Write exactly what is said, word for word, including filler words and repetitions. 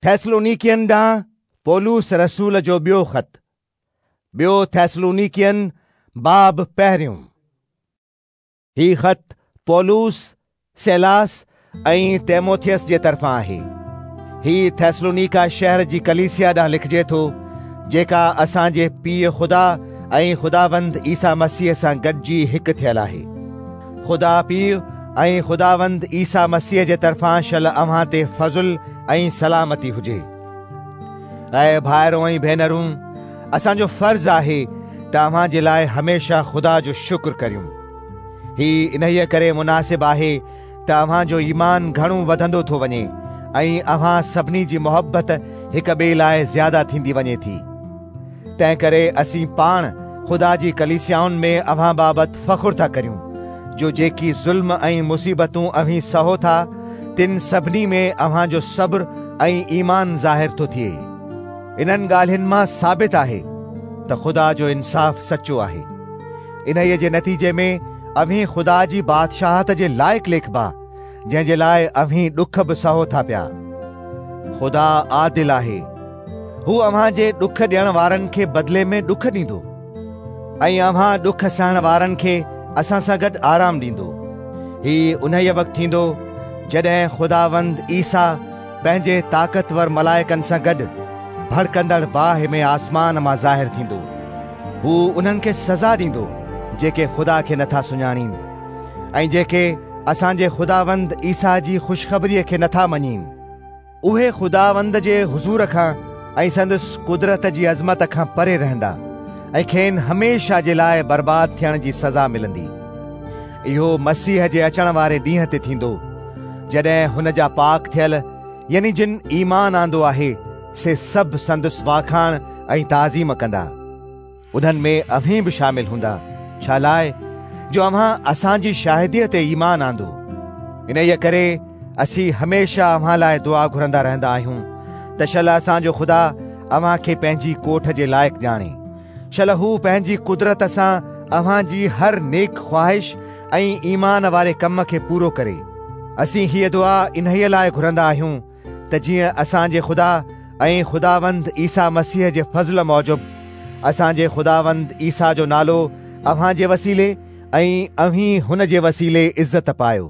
थेसलोनिकियन ॾांहुं पौलुस रसूल जो ॿियो ख़त, ॿियो थेसलोनिकियन बाब पहिरियों। ही ख़त पौलुस, सैलास ऐं तीमुथियुस जे तरफ़ां आहे। ही थेसलोनिका शहर जी कलीसिया ॾांहुं लिखिजे थो, जेका असांजे पीउ ख़ुदा ऐं ख़ुदावंद ईसा मसीह सां गॾिजी हिकु थियल आहे। ख़ुदा पीउ ऐं ख़ुदावंद ईसा मसीह जे तरफ़ां शल अव्हां ते फ़ज़ुल ऐं सलामती हुजे। ऐं भाइरो ऐं भेनरूं, असांजो फ़र्ज़ आहे त अव्हां जे लाइ हमेशह ख़ुदा जो शुक्र करियूं। ही इन्हीअ करे मुनासिब आहे त अव्हांजो ईमान घणो वधंदो थो वञे ऐं अव्हां सभिनी जी मोहबत हिक ॿिए लाइ ज़्यादा थींदी वञे थी। तंहिं करे असीं पाण ख़ुदा जी कलीसियाउनि में अव्हां बाबति फ़ख़ुरु था करियूं, जो जेकी ज़ुल्म ऐं मुसीबतूं अव्हीं सहो था, तिन सभिनी में अव्हांजो सब्र ऐं ईमान ज़ाहिर थो थिए। इन्हनि ॻाल्हियुनि मां साबित आहे त ख़ुदा जो इंसाफ़ सचो आहे। इन्हीअ जे नतीजे में अव्हीं ख़ुदा जी बादशाहत जे लाइक़ लेखबा, जंहिंजे लाइ अव्हीं ॾुख बि सहो था पिया। ख़ुदा आदिल आहे, हू अव्हांजे ॾुख ॾियण वारनि खे बदिले में ॾुख ॾींदो ऐं अव्हां ॾुख सहण वारनि खे असां सां गॾु आराम ॾींदो। ही उन्हीअ वक़्तु थींदो जॾहिं ख़ुदावंद ईसा पंहिंजे ताक़तवर मलाइकनि सां गॾु भड़कंदड़ बाहि में आसमान मां ज़ाहिर थींदो। हू उन्हनि खे सज़ा ॾींदो जेके ख़ुदा खे नथा सुञाणीनि ऐं जेके असांजे ख़ुदावंद ईसा जी ख़ुशख़बरीअ खे नथा मञीनि। उहे ख़ुदावंद जे हुज़ूर खां ऐं संदसि कुदरत जी अज़मत खां परे रहंदा ऐं खेनि हमेशह जे लाइ बर्बाद थियण जी सज़ा मिलंदी। इहो मसीह जे अचण वारे ॾींहं ते थींदो, जॾहिं हुन जा पाक थियल यानी जिन ईमान आंदो आहे से सभु संदसि वाखाण ऐं ताज़ीम कंदा। उन्हनि में अव्हीं बि शामिल हूंदा, छा लाइ जो अव्हां असांजी शाहिदीअ ते ईमान आंदो। इन्हीअ करे असीं हमेशह अव्हां लाइ दुआ घुरंदा रहंदा आहियूं त शल असांजो ख़ुदा अव्हां खे पंहिंजी कोठ जे लाइक़ ॼाणे। शल हू पंहिंजी कुदरत सां अव्हां जी हर नेक ख़्वाहिश ऐं ईमान वारे कम खे पूरो करे। असीं हीअ दुआ इन्हीअ लाइ घुरंदा आहियूं त जीअं असांजे ख़ुदा ऐं ख़ुदावंद ईसा मसीह जे फ़ज़ल मूजिबि असांजे ख़ुदावंद ईसा जो नालो अव्हां जे वसीले ऐं अव्हीं हुन जे वसीले इज़त पायो।